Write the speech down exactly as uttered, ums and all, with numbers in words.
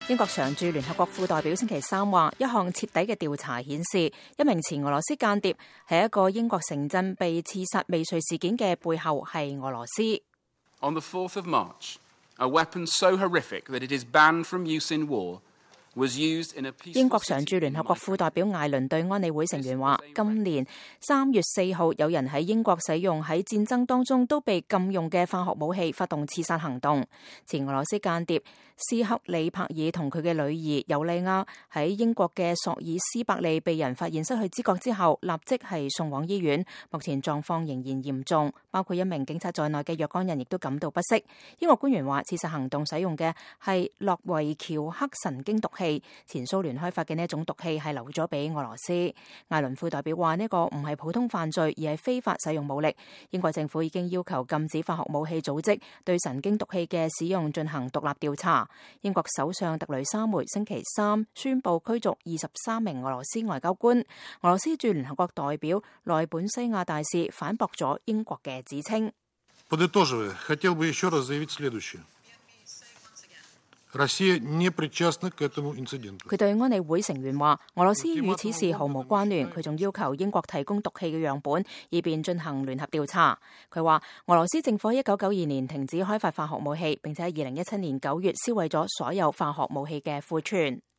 英國常駐聯合國副代表星期三話，一項徹底嘅調查顯示，一名前俄羅斯間諜喺一個英國城鎮被刺殺未遂事件嘅背後係俄羅斯。On the fourth of March, a weapon so horrific that it is banned from use in war was used in a peaceful city. 英國常駐聯合國副代表艾倫對安理會成員話，今年三月四號有人喺英國使用喺戰爭當中都被禁用嘅化學武器發動刺殺行動。前俄羅斯間諜斯克里柏爾同佢嘅女兒尤利亞喺英國嘅索爾斯伯利被人發現失去知覺之後，立即係送往醫院，目前狀況仍然嚴重，包括一名警察在內嘅若干人亦都感到不適。英國官員話，刺殺行動使用嘅係諾維喬克神經毒氣，前蘇聯開發嘅呢一種毒氣係留咗俾俄羅斯。艾倫副代表話，呢個唔係普通犯罪，而係非法使用武力。英國政府已經要求禁止化學武器組織對神經毒氣嘅使用進行獨立調查。英國首相特雷莎梅星期三宣布驅逐二十三名俄羅斯外交官。俄羅斯駐聯合國代表內本西亞大使反駁咗英國嘅指稱。Подытоживая, хотел бы еще раз заявить следующее. Россия не причастна к этому инциденту. 佢對安理會成員話，俄羅斯與此事毫無關聯。佢仲要求英國提供毒氣嘅樣本，以便進行聯合調查。佢話，俄羅斯政府一九九二年停止開發化學武器，並且喺二零一七年九月銷毀咗所有化學武器嘅庫存。